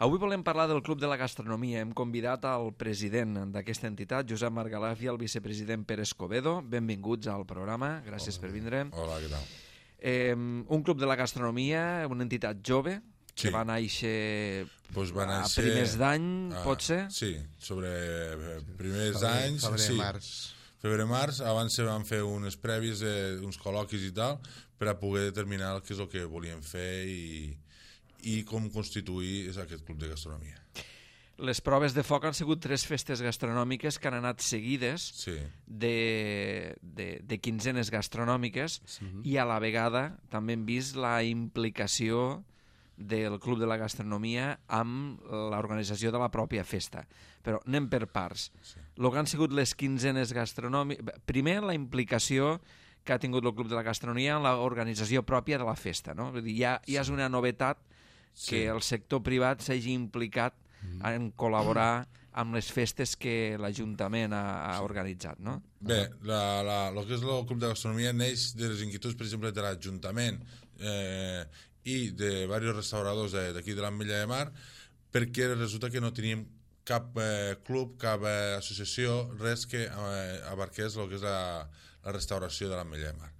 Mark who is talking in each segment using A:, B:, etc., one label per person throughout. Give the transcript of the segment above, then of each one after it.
A: Avui volem parlar del Club de la Gastronomia. Hem convidat al president d'aquesta entitat, Josep Margalef, i el vicepresident Pere Escobedo. Benvinguts al programa, gràcies per vindre.
B: Hola, què tal?
A: Un Club de la Gastronomia, una entitat jove, que va néixer a primers d'any, pot ser?
B: Sí, sobre primers d'anys.
C: Febrer-març.
B: Febrer-març, abans se van fer unes prèvies, uns col·loquis i tal, per a poder determinar què és el que volíem fer i com constituir aquest club de gastronomia.
A: Les proves de foc han sigut 3 festes gastronòmiques que han anat seguides de quinzenes gastronòmiques i a la vegada també hem vist la implicació del Club de la Gastronomia amb l'organització de la pròpia festa. Però anem per parts. El que han sigut les quinzenes gastronòmiques... Primer, la implicació que ha tingut el Club de la Gastronomia en l'organització pròpia de la festa, no? Vull dir, ja és una novetat que el sector privat s'hagi implicat en col·laborar amb les festes que l'Ajuntament ha organitzat, no?
B: Bé, el que és el Club de Gastronomia neix de les inquietuds, per exemple, de l'Ajuntament i de diversos restauradors d'aquí de l'Ametlla de Mar, perquè resulta que no teníem cap club, cap associació, res que abarqués el que és la restauració de l'Ametlla de Mar.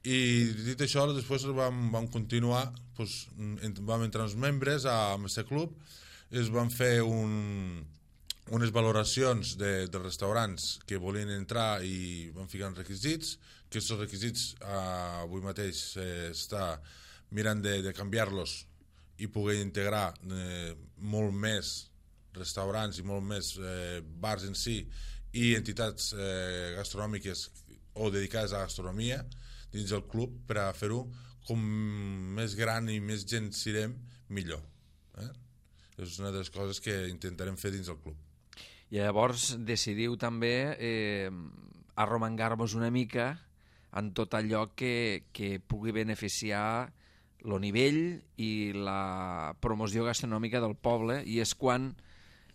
B: I dit això, després vam continuar, vam entrar uns membres amb aquest club, es van fer unes valoracions de restaurants que volien entrar i van ficar uns requisits, que aquests requisits avui mateix està mirant de canviar-los i poder integrar molt més restaurants i molt més bars en si i entitats gastronòmiques o dedicades a la gastronomia dins del club per a fer-ho com més gran i més gent sirem, millor. És una de les coses que intentarem fer dins del club.
A: I llavors decidiu també arromangar-vos una mica en tot allò que pugui beneficiar el nivell i la promoció gastronòmica del poble, i és quan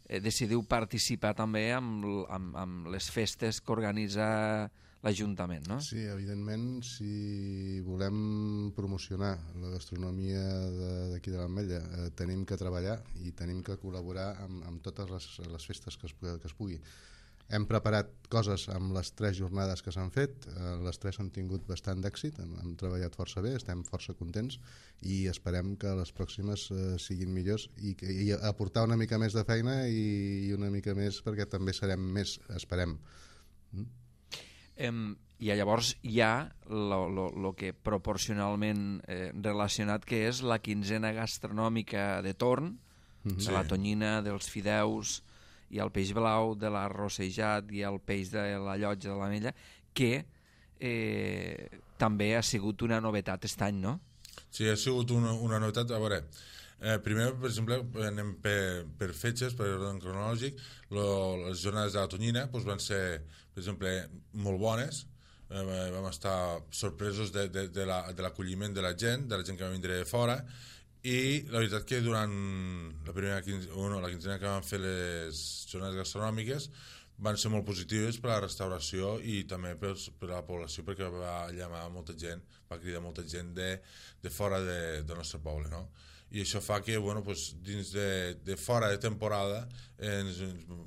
A: decidiu participar també amb les festes que organitza l'Ajuntament, no?
C: Sí, evidentment, si volem promocionar la gastronomia d'aquí de l'Ametlla, tenim que treballar i tenim que col·laborar amb totes les festes que es pugui. Hem preparat coses amb les 3 jornades que s'han fet, les 3 han tingut bastant d'èxit, hem treballat força bé, estem força contents i esperem que les pròximes siguin millors i aportar una mica més de feina i una mica més perquè també serem més, esperem.
A: I llavors hi ha el que proporcionalment relacionat que és la quinzena gastronòmica de torn, de la tonyina, dels fideus i el peix blau, de l'arrossejat i el peix de la llotja de l'Ametlla, que també ha sigut una novetat aquest any, no?
B: Sí, ha sigut una novetat. A veure, primer, per exemple, anem per fetges, per ordre cronològic. Les jornades de la tonyina van ser, per exemple, molt bones. Vam estar sorpresos de l'acolliment de la gent que va vindre de fora, i la veritat que durant la quinzena que vam fer les jornades gastronòmiques van ser molt positives per a la restauració i també per a la població, perquè va llamar molta gent, va cridar molta gent de fora del nostre poble, no? I això fa que dins de fora de temporada ens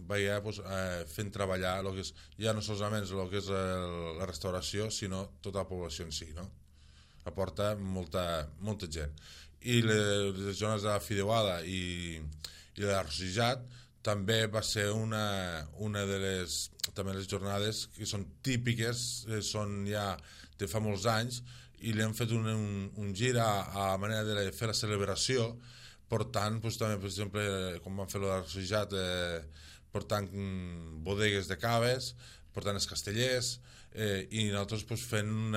B: veiem fent treballar ja no solament el que és la restauració, sinó tota la població en si, no? Aporta molta gent. I les zones de la fideuada i de l'arrossejat també va ser una de les jornades que són típiques, són ja de fa molts anys, i li hem fet un gir a manera de fer la celebració, portant també, per exemple, com vam fer l'arrossejat, portant bodegues de caves, portant els castellers, i nosaltres fent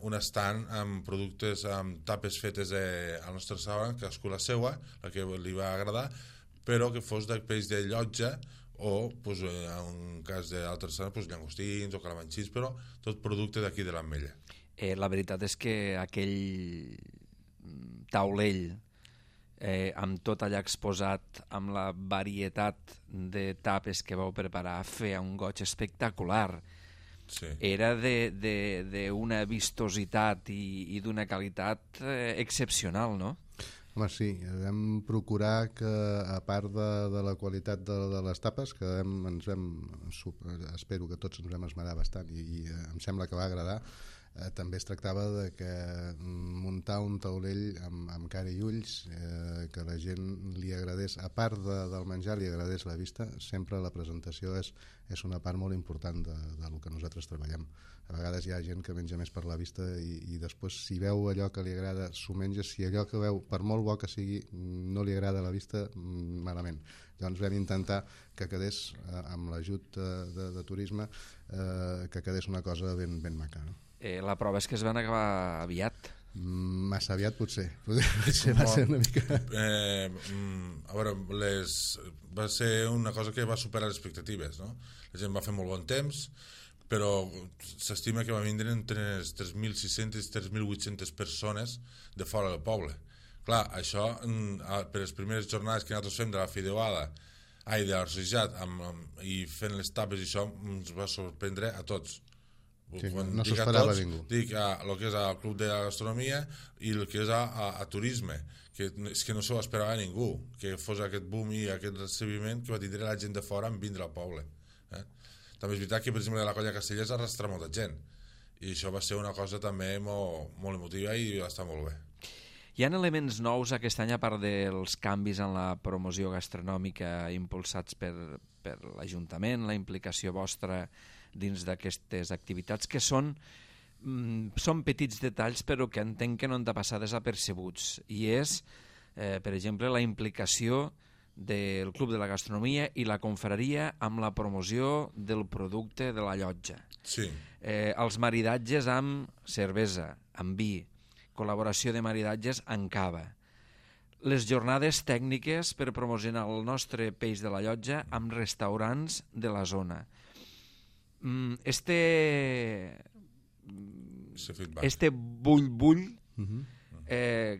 B: un stand amb productes, amb tapes fetes al nostre restaurant, cadascú la seua, la que li va agradar, però que fos de peix de llotja o, en cas d'altres restaurants, llangostins o calamanxins, però tot producte d'aquí de l'Ametlla.
A: La veritat és que aquell taulell amb tot allà exposat, amb la varietat de tapes que vau preparar, feia un goig espectacular.
B: Sí.
A: Era d'una vistositat i d'una qualitat excepcional, no?
C: Home, sí, vam procurar que, a part de la qualitat de les tapes, que espero que tots ens vam esmerar bastant i em sembla que va agradar, també es tractava de que muntar un taulell amb cara i ulls, que la gent li agradés, a part del menjar, li agradés la vista. Sempre la presentació és una part molt important del que nosaltres treballem. A vegades hi ha gent que menja més per la vista i després, si veu allò que li agrada, s'ho menja. Si allò que veu, per molt bo que sigui, no li agrada la vista, malament. Llavors vam intentar que quedés, amb l'ajut de turisme, que quedés una cosa ben maca, no?
A: La prova és que es van acabar aviat.
C: Massa aviat potser va ser una mica...
B: A veure, va ser una cosa que va superar les expectatives, no? La gent va fer molt bon temps, però s'estima que va vindre entre 3.600 i 3.800 persones de fora del poble. Clar, això, per les primeres jornades que nosaltres fem de la fideuada de l'arrossegat i fent les tapes i això, ens va sorprendre a tots.
C: Sí, no s'ho esperava ningú.
B: Dic el que és el Club de la Gastronomia i el que és a Turisme, que és que no s'ho esperava ningú, que fos aquest boom i aquest recibiment que va tindre la gent de fora en vindre al poble. També és veritat que, per exemple, la Colla Castellers arrastra molta gent, i això va ser una cosa també molt emotiva i va estar molt bé.
A: Hi ha elements nous aquest any, a part dels canvis en la promoció gastronòmica impulsats per l'Ajuntament, la implicació vostra dins d'aquestes activitats, que són petits detalls però que entenc que no han de passar desapercebuts, i és, per exemple, la implicació del Club de la Gastronomia i la confraria amb la promoció del producte de la llotja.
B: Sí.
A: Els maridatges amb cervesa, amb vi, col·laboració de maridatges amb cava, les jornades tècniques per promocionar el nostre peix de la llotja amb restaurants de la zona. Este bull,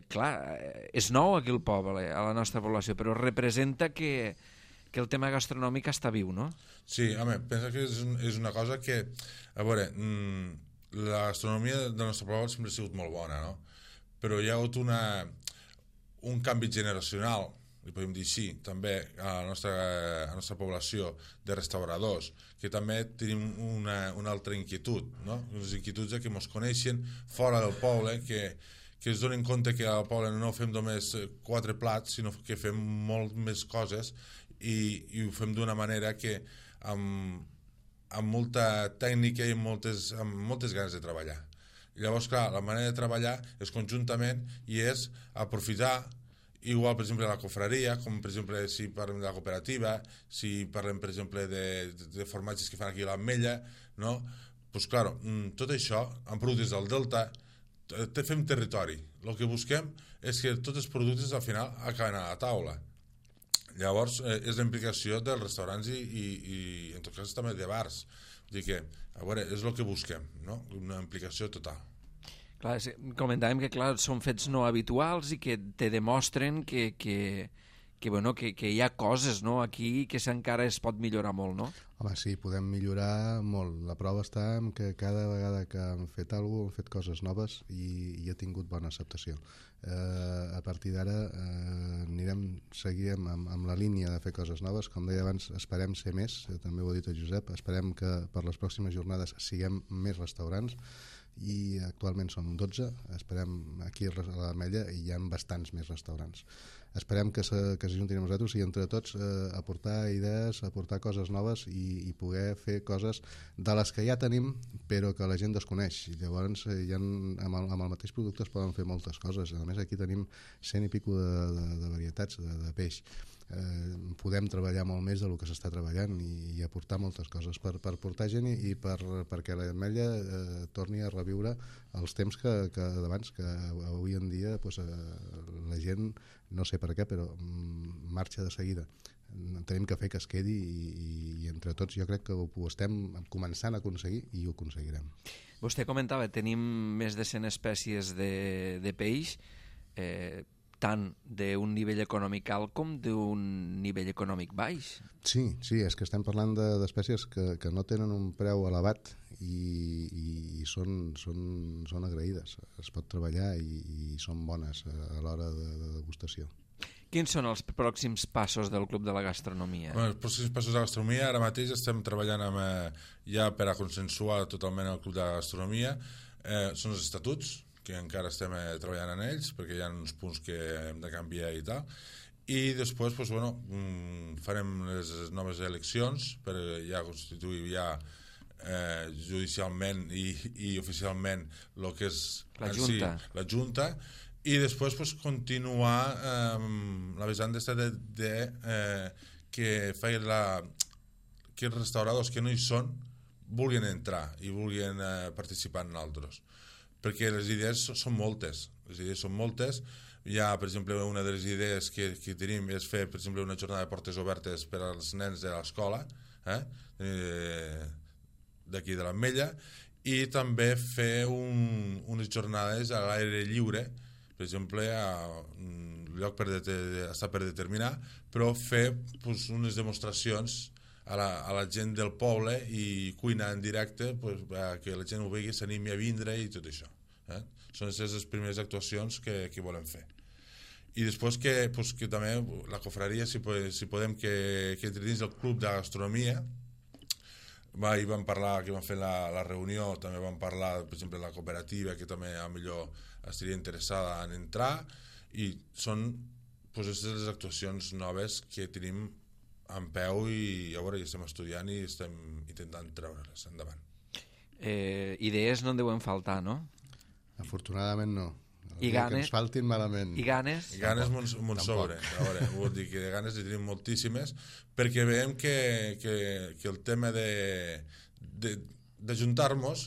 A: clar, és nou aquí al poble, a la nostra població, però representa que el tema gastronòmic està viu, no?
B: Sí, home, pensa que és una cosa que, a veure, la gastronomia del nostre poble sempre ha sigut molt bona, no? Però hi ha hagut un canvi generacional, li podem dir així, també a la nostra població de restauradors, que també tenim una altra inquietud, no? Unes inquietuds que ens coneixen fora del poble, que es donen compte que al poble no fem només 4 plats, sinó que fem molt més coses i ho fem d'una manera que amb molta tècnica i amb moltes ganes de treballar. Llavors, clar, la manera de treballar és conjuntament i és aprofitar. Igual, per exemple, la confraria, com per exemple si parlem de la cooperativa, si parlem, per exemple, de formatges que fan aquí a l'Ametlla, no? Doncs, clar, tot això, amb productes del Delta, fem territori. El que busquem és que tots els productes al final acaben a la taula. Llavors, és la implicació dels restaurants i en tot cas també de bars. Vull dir que, a veure, és el que busquem, no? Una implicació total.
A: Clar, comentàvem que clar, són fets no habituals i que te demostren que hi ha coses, no, aquí que encara es pot millorar molt, no?
C: Home, sí, podem millorar molt. La prova està en que cada vegada que hem fet alguna cosa, hem fet coses noves i ha tingut bona acceptació. A partir d'ara seguirem amb la línia de fer coses noves. Com deia abans, esperem ser més, també ho ha dit el Josep, esperem que per les pròximes jornades siguem més restaurants, i actualment som 12, esperem aquí a l'Ametlla i hi ha bastants més restaurants. Esperem que s'ajuntin amb nosaltres i entre tots aportar idees, aportar coses noves i poder fer coses de les que ja tenim però que la gent desconeix. Llavors amb el mateix producte es poden fer moltes coses. A més, aquí tenim 100 i pico de varietats de peix. Podem treballar molt més del que s'està treballant i aportar moltes coses per portar gent i perquè l'Ametlla torni a reviure els temps que d'abans, que avui en dia la gent, no sé per què, però marxa de seguida. Tenim que fer que es quedi i entre tots jo crec que ho estem començant a aconseguir i ho aconseguirem.
A: Vostè comentava, tenim més de 100 espècies de peix, tant d'un nivell econòmic alt com d'un nivell econòmic baix.
C: Sí, és que estem parlant d'espècies que no tenen un preu elevat i són agraïdes. Es pot treballar i són bones a l'hora de degustació.
A: Quins són els pròxims passos del Club de la Gastronomia?
B: Els pròxims passos de la gastronomia, ara mateix estem treballant ja per a consensuar totalment el Club de la Gastronomia. Són els estatuts, que encara estem treballant en ells, perquè hi ha uns punts que hem de canviar i tal. I després farem les noves eleccions per ja constituir judicialment i oficialment el que és la Junta, i després continuar la vessant que els restauradors que no hi són vulguin entrar i vulguin participar en altres, perquè les idees són moltes. Hi ha, per exemple, una de les idees que tenim és fer, per exemple, una jornada de portes obertes per als nens de l'escola d'aquí de l'Ametlla, i també fer unes jornades a l'aire lliure, per exemple, lloc està per determinar, però fer unes demostracions a la gent del poble i cuinar en directe, que la gent ho vegi, s'animi a vindre i tot això. Són les primeres actuacions que volem fer. I després que també la cofraria, si podem, que entre dins del Club de Gastronomia, i vam parlar, que vam fer la reunió, també vam parlar, per exemple, de la cooperativa, que també millor estaria interessada en entrar, i són les actuacions noves que tenim en peu i a veure, ja estem estudiant i estem intentant treure-les endavant.
A: Idees no en deuen faltar, no?
C: Afortunadament no.
A: I ganes?
C: Que ens faltin malament.
A: I ganes?
B: I ganes m'on sobre. A veure, vull dir que de ganes hi tenim moltíssimes, perquè veiem que el tema d'ajuntar-nos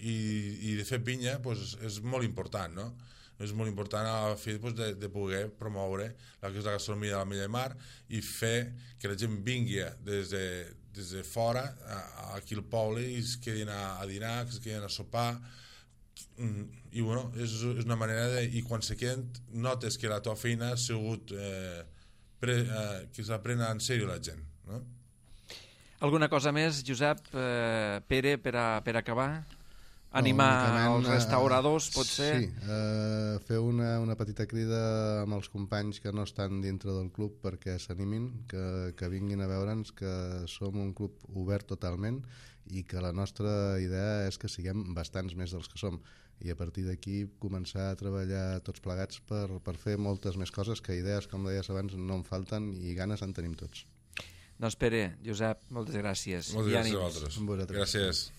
B: i de fer pinya és molt important, no? És molt important a la fi de poder promoure la gastronomia de l'Ametlla de Mar i fer que la gent vingui des de fora aquí al poble i es quedin a dinar, que es quedin a sopar, i bueno, és una manera i quan se queden notes que la teva feina ha sigut que s'ha pren en sèrio la gent, no?
A: Alguna cosa més, Josep, Pere, per acabar? Animar els restauradors, potser?
C: Sí, fer una petita crida amb els companys que no estan dintre del club perquè s'animin, que vinguin a veure'ns, que som un club obert totalment i que la nostra idea és que siguem bastants més dels que som, i a partir d'aquí començar a treballar tots plegats per fer moltes més coses, que idees, com deies abans, no en falten i ganes en tenim tots.
A: Doncs Pere, Josep, moltes gràcies.
B: Moltes gràcies a vosaltres.
C: Gràcies.